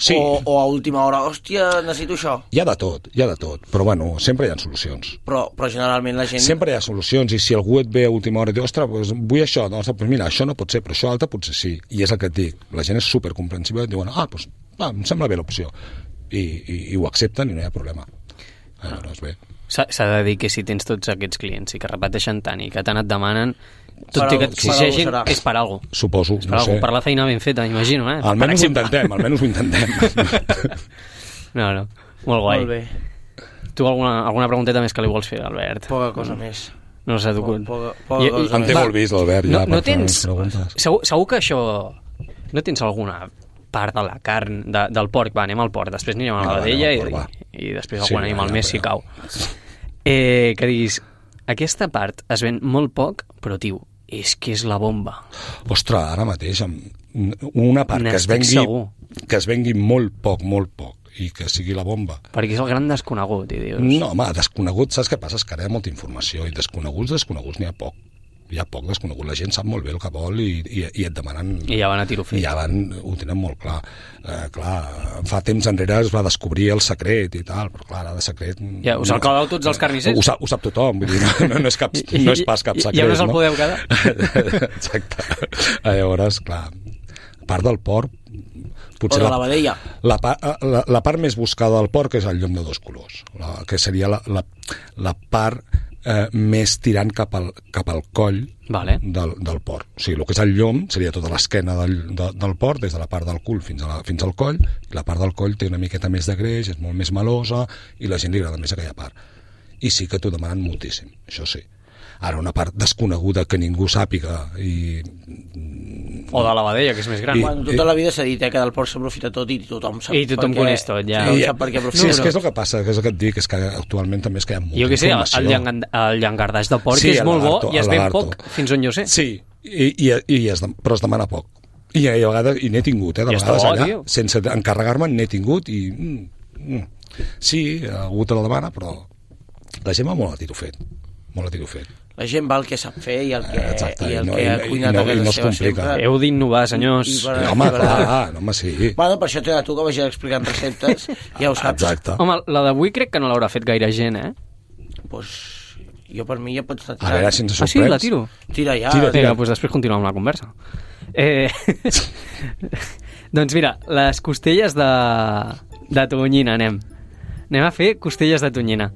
Sí. O a última hora, hòstia, necessito això. Hi ha de tot, però bueno, sempre hi ha solucions. Però generalment la gent... Sempre hi ha solucions, i si algú et ve a última hora i diu, ostres, doncs vull això, doncs mira, això no pot ser, però això altre potser sí. I és el que et dic, la gent és supercomprensiva i et diuen, doncs em sembla bé l'opció. I ho accepten i no hi ha problema. Llavors, bé. S'ha de dir que si tens tots aquests clients i que repeteixen tant i que tant et demanen, tot i que t'exigeixin, és per alguna cosa. Suposo, no sé. Per la feina ben feta, imagino, eh? Almenys ho intentem. No, molt guai. Molt bé. Tu alguna pregunteta més que li vols fer, Albert? Poca cosa més. No s'ha tocut. Poca cosa em té molt vist, l'Albert, ja. No tens... Segur que això... No tens alguna part de la carn del porc? Va, anem al porc, després anirem a la vedella i després algun animal més si cau. Que diguis, aquesta part es ven molt poc, però, tio, és que és la bomba. Ostres, ara mateix, una part que es vengui molt poc, i que sigui la bomba. Perquè és el gran desconegut, i dius... No, home, desconegut, saps què passa? És que ara hi ha molta informació, i desconeguts n'hi ha poc. Hi ha poc desconegut, la gent sap molt bé el que vol i et demanen... I ja van a tiro fet. I ja ho tenen molt clar. Clar, fa temps enrere es va descobrir el secret i tal, però clar, ara de secret... Ja, us el claveu tots els carnissers? Ho sap tothom, vull dir, no és pas cap secret. I on us el podeu quedar? Exacte. Llavors, clar, a part del porc... Potser o de la vedella. La part més buscada del porc és el llom de 2 colors, que seria la part... més tirant cap al coll del porc. O sigui, el que és el llom seria tota l'esquena del porc, des de la part del cul fins al coll, i la part del coll té una miqueta més de greix, és molt més melosa, i la gent li agrada més aquella part. I sí que t'ho demanen moltíssim, això sí. Ara, una part desconeguda que ningú sàpiga i... O de la vedella, que és més gran. Bueno, tota la vida s'ha dit que del porc s'aprofita tot i tothom sap. I tothom coneix tot, ja. Tothom sap per què aprofita. Sí, és que és el que passa, que és el que et dic, és que actualment també és que hi ha molta informació. Jo què sé, el llangardaix de porc és molt bo i es ven poc, fins on jo sé. Sí, però es demana poc. I a vegades, i n'he tingut, de vegades allà, sense encarregar-me, n'he tingut i... Sí, algú te la demana, però la gent va molt a tiro fet. La gent va el que sap fer i el que ha cuinat a casa seva sempre. Heu d'innovar, senyors. Home, clar, sí. Bueno, per això t'he de tu que vagis explicant receptes, ja ho saps. Exacte. Home, la d'avui crec que no l'haurà fet gaire gent, eh? Doncs jo per mi ja pots estar tirant. A veure si ens sorprens. Ah, sí? La tiro? Tira ja. Vinga, doncs després continuem amb la conversa. Doncs mira, les costelles de tonyina anem a fer costelles de tonyina.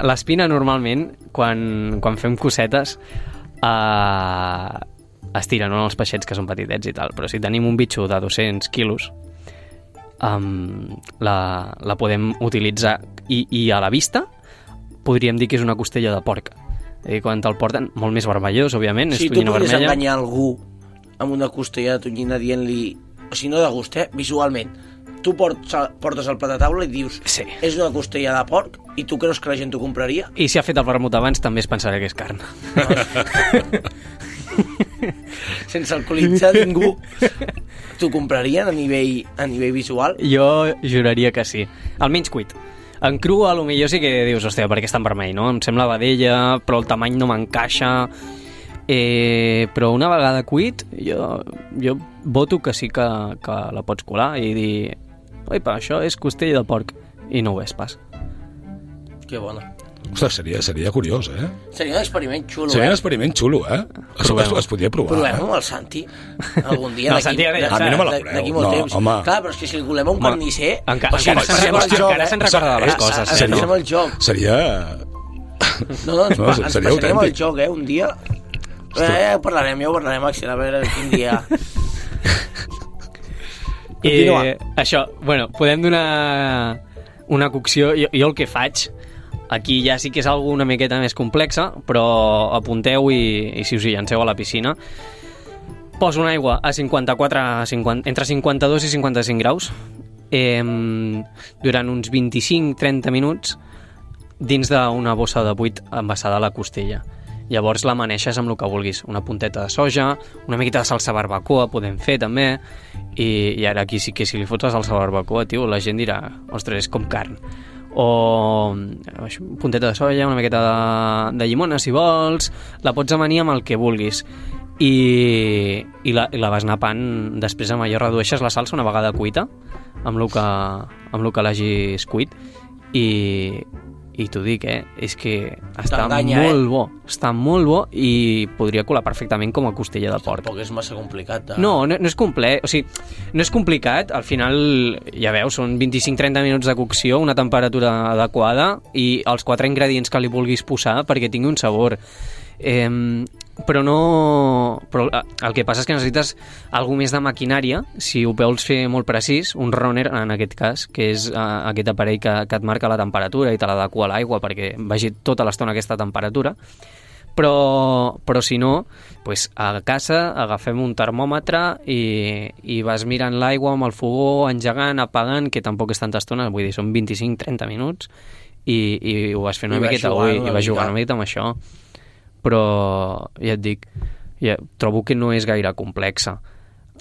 L'espina normalment quan fem cosetes es tira, no, els peixets que són petitets i tal, però si tenim un bitxo de 200 quilos la podem utilitzar i a la vista podríem dir que és una costella de porc. Quan te'l porten, molt més vermellós, òbviament, és tonyina vermella. Si tu podries enganyar algú amb una costella de tonyina dient-li, o si no de gust, visualment, tu portes el plat a taula i dius sí, és una costella de porc i tu creus que la gent t'ho compraria? I si ha fet el vermut abans també es pensarà que és carn. Sense alcoholitzar ningú t'ho comprarien a nivell visual? Jo juraria que sí, almenys cuit. En cru a lo millor sí que dius, hòstia, per què és tan vermell, no? Em sembla vedella, però el tamany no m'encaixa. Però una vegada cuit jo voto que sí que la pots colar i dir, oipa, això és costella de porc, i no ho és pas. Que bona. Ostres, seria curiós, eh? Seria un experiment xulo, Seria un experiment xulo, eh? Es podria provar. Provem amb el Santi algun dia. No, el Santi a mi no me la cureu. D'aquí molt temps. Home. Clar, però és que si li volem un carnisser... Encara se'n recorda de les coses. Passarem el joc. Seria... No, ens passarem el joc, un dia. Ja ho parlarem, Axel, a veure quin dia... Continua. Això, bueno, podem donar una cocció. Jo el que faig, aquí ja sí que és alguna miqueta més complexa, però apunteu i si us hi llanceu a la piscina, poso una aigua a 50, entre 52 i 55 graus durant uns 25-30 minuts dins d'una bossa de buit envasada a la costella. Llavors l'amaneixes amb el que vulguis, una punteta de soja, una miqueta de salsa barbacoa podem fer també, i ara aquí sí que si li fots la salsa barbacoa, tio, la gent dirà, ostres, és com carn. O punteta de soja, una miqueta de llimona si vols, la pots amanir amb el que vulguis i la vas napant després amb allò, redueixes la salsa una vegada cuita amb el que l'hagis cuit i t'ho dic, és que està molt bo, està molt bo i podria colar perfectament com a costella de porc. Tampoc és massa complicat. No és complet, o sigui, no és complicat, al final, ja veus, són 25-30 minuts de cocció, una temperatura adequada i els 4 ingredients que li vulguis posar perquè tingui un sabor. Però el que passa és que necessites alguna més de maquinària si ho vols fer molt precís, un runner en aquest cas, que és aquest aparell que et marca la temperatura i te l'adequa a l'aigua perquè vagi tota l'estona a aquesta temperatura, però si no, pues a casa agafem un termòmetre i vas mirant l'aigua amb el fogó, engegant, apagant, que tampoc és tanta estona, vull dir, són 25-30 minuts i ho vas fent una miqueta i vas jugant una miqueta amb això. Però ja et dic, trobo que no és gaire complexa.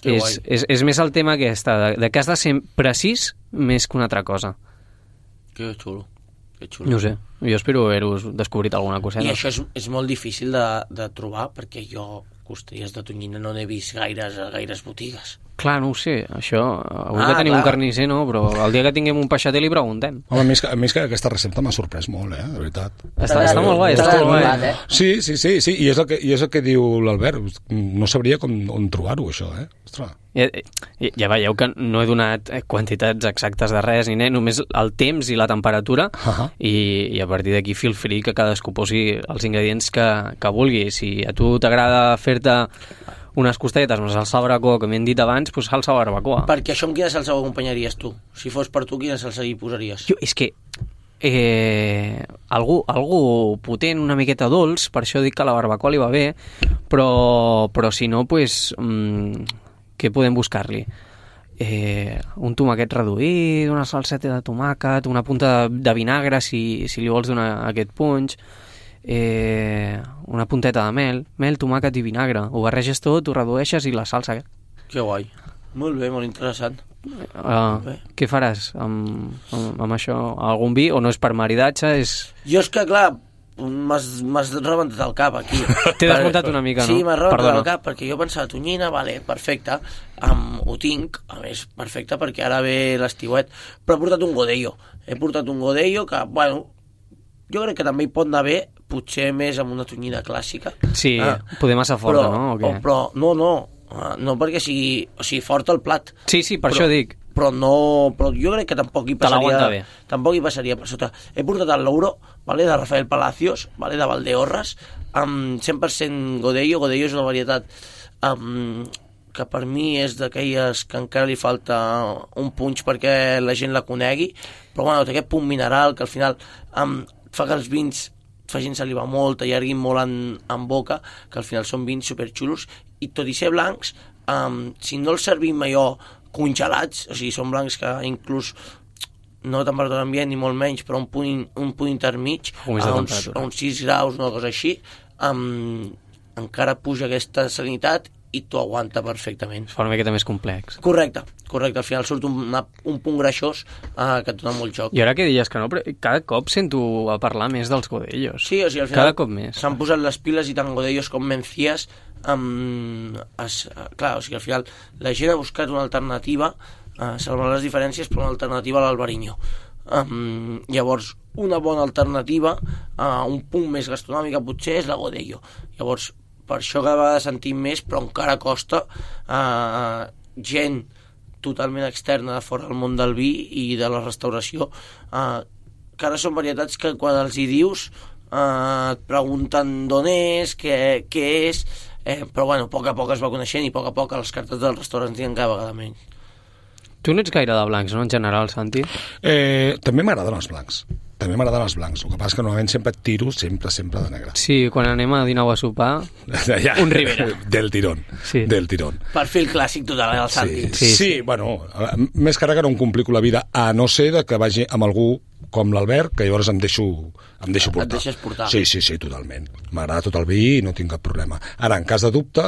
És més el tema aquesta, de que has de ser precís més que una altra cosa. Que xulo. No ho sé, jo espero haver-vos descobrit alguna coseta. I això és molt difícil de trobar perquè jo costelles de tonyina no n'he vist gaires botigues. Clar, no ho sé, això avui que tenim un carnisser, no? Però el dia que tinguem un peixater li preguntem. Home, a mi és que aquesta recepta m'ha sorprès molt, de veritat. Està molt guai, està molt guai. Sí, i és el que diu l'Albert, no sabria on trobar-ho, això, Ostres. Ja veieu que no he donat quantitats exactes de res ni només el temps i la temperatura i a partir d'aquí feel free que cadascú posi els ingredients que vulgui. Si a tu t'agrada fer-te unes costelletes amb salsa barbacoa, que m'hem dit abans, doncs salsa barbacoa. Perquè això amb quina salsa ho acompanyaries tu? Si fos per tu, quina salsa hi posaries? Jo, és que algú potent, una miqueta dolç, per això dic que la barbacoa li va bé, però si no, doncs, què podem buscar-li? Un tomàquet reduït, una salseta de tomàquet, una punta de vinagre, si li vols donar aquest punx, una punteta de mel, tomàquet i vinagre. Ho barreges tot, ho redueixes i la salsa. Que guai. Molt bé, molt interessant. Què faràs amb això? Algun vi o no és per maridatge? Jo és que, clar, m'has rebentat el cap aquí. T'he desmuntat una mica, no? Sí, m'has rebentat el cap perquè jo pensava tonyina, vale, perfecte, ho tinc, a més, perfecte, perquè ara ve l'estiuet, però he portat un godello que, bueno, jo crec que també hi pot anar bé, potser més amb una tonyina clàssica. Sí, poder massa forta, no? Però no perquè sigui forta el plat. Sí, per això dic. Però jo crec que tampoc hi passaria per sota. He portat el Louro, vale, de Rafael Palacios, vale, de Valdeorras, amb 100% godello. Godello és una varietat que per mi és d'aquelles que encara li falta un punx perquè la gent la conegui, però bueno, té aquest punt mineral que al final fa que els vins facin saliva molt, allarguin molt en boca, que al final són vins superxulos, i tot i ser blancs, si no els servim allò congelats, o sigui, són blancs que inclús no temperatura ambient ni molt menys, però un punt intermig, a uns 6 graus, una cosa així, encara puja aquesta salinitat i t'ho aguanta perfectament. Es fa una miqueta més complex. Correcte. Al final surt un punt greixós que et dona molt joc. I ara que deies que no, però cada cop sento a parlar més dels godellos. Sí, o sigui, al final cada cop més. S'han posat les piles i tant godellos com mencías. Clar, o sigui, al final la gent ha buscat una alternativa, salvant les diferències, però una alternativa a l'Albariño. Llavors, una bona alternativa, un punt més gastronòmica potser, és la godello. Llavors, per això cada vegada sentim més, però encara costa gent totalment externa de fora del món del vi i de la restauració, que ara són varietats que quan els hi dius et pregunten d'on és, què és, però bueno, a poc es va coneixent i a poc les cartes dels restaurants diuen cada vegada menys. Tu no ets gaire de blancs, no, en general, Santi? També m'agraden els blancs. El que passa és que normalment sempre tiro sempre de negre. Sí, quan anem a dinar o a sopar, Ja. un Ribera. Del tirón. Sí. Del tirón. Perfil clàssic total, el Santi. Sí, bueno, més que res que no em complico la vida, a no ser de que vagi amb algú com l'Albert, que llavors em deixo portar. Et deixes portar. Sí, totalment. M'agrada tot el vi i no tinc cap problema. Ara, en cas de dubte,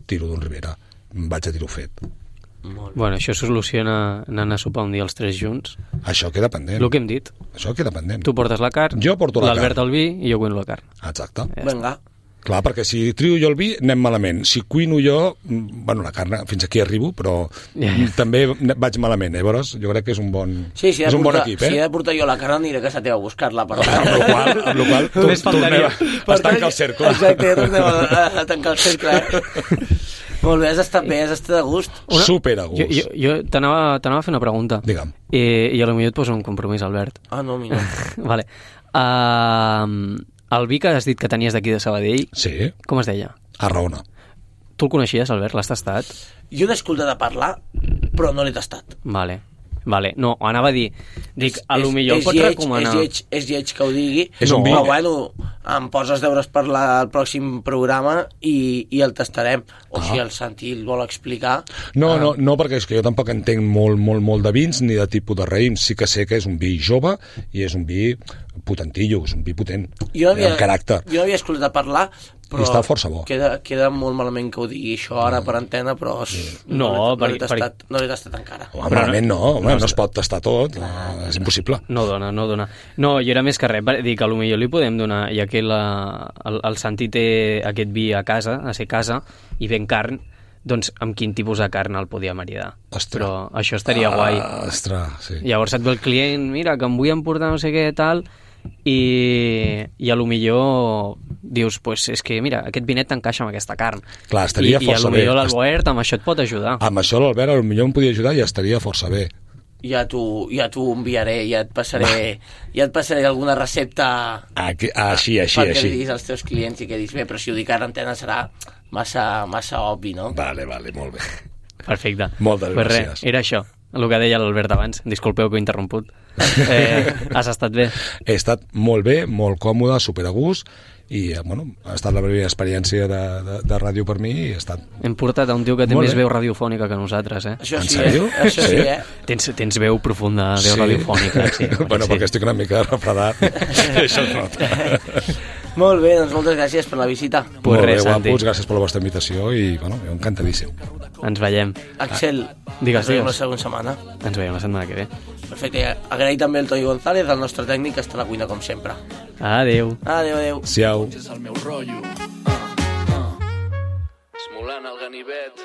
tiro d'un Ribera. Vaig a dir-ho fet. Bueno, això soluciona anant a sopar un dia els tres junts. Això queda pendent. El que hem dit. Això queda pendent. Tu portes la carn, Jo porto la l'Albert carn. el vi i jo cuino la carn. Exacte. Vinga. Clar, perquè si trio jo el vi, anem malament. Si cuino jo, bueno, la carn, fins aquí arribo, però també vaig malament, Llavors, jo crec que és un bon, Sí, és un bon equip, Si he de portar jo la carn, aniré a casa teva a buscar-la. Per Amb la qual Només faltaria. es tanca el cercle. Exacte, tornem a tancar el cercle. Molt bé, has estat a gust. Super a gust. Jo t'anava a fer una pregunta. Digue'm. I potser et poso un compromís, Albert. Ah, no, mira. Vale. El vi que has dit que tenies d'aquí de Sabadell, Sí, com es deia? a Raona. Tu el coneixies, Albert? L'has tastat? Jo n'he escoltat a parlar, però no l'he tastat. Vale. No, anava a dir, a lo millor el pots recomanar. És lleig que ho digui, És un vi. però bueno, em poses deures per al pròxim programa i el tastarem. O si el Santi el vol explicar. No, perquè és que jo tampoc entenc molt de vins ni de tipus de raïms. Sí que sé que és un vi jove i és un vi potentillo, és un vi potent, amb caràcter. Jo havia escoltat a parlar, però I està força bo. Queda molt malament que ho digui això ara per antena, però no l'he tastat encara. Home, malament no, home, no es pot tastar tot, és impossible. No dona. No, jo era més que res, dic que potser li podem donar, ja que el Santi té aquest vi a casa, a ser casa, i ven carn, doncs amb quin tipus de carn el podia maridar. Ostres. Però això estaria guai. Ostres, sí. Llavors et ve el client, mira, que em vull emportar no sé què, tal, i a lo millor dius, pues és que mira, aquest vinet t'encaixa amb aquesta carn. Clar, estaria força bé. I a lo millor l'Albert amb això et pot ajudar. Amb això l'Albert potser em podia ajudar i estaria força bé. Ja t'ho enviaré, ja et passaré alguna recepta Així. perquè li diguis als teus clients i que diguis, bé, però si ho dic ara a antena serà massa obvi, no? Vale, molt bé. Perfecte. Moltes pues gràcies. Era això, el que deia l'Albert abans. Disculpeu que ho he interromput. Has estat bé? He estat molt bé, molt còmode, super a gust, i bueno, ha estat la primera experiència de ràdio per mi i ha estat... Hem portat a un tio que té Molt més bé. veu radiofònica que nosaltres, eh? Això En sí, sèrio? Això sí, Tens veu profunda, veu radiofònica. Sí, bueno, sí. perquè estic una mica refredat. Això es nota. Molt bé, doncs moltes gràcies per la visita. Pues Molt bé, res, Santi. guapos, gràcies per la vostra invitació i, bueno, jo encantadíssim. Ens veiem. Axel, Digues, ens veiem la digues. segona setmana. Ens veiem la setmana que ve. Perfecte, agrair també el Toni González, el nostre tècnic, que està a la cuina com sempre. Adéu. Adéu. Siau. És el meu rotllo. Esmolant el ganivet.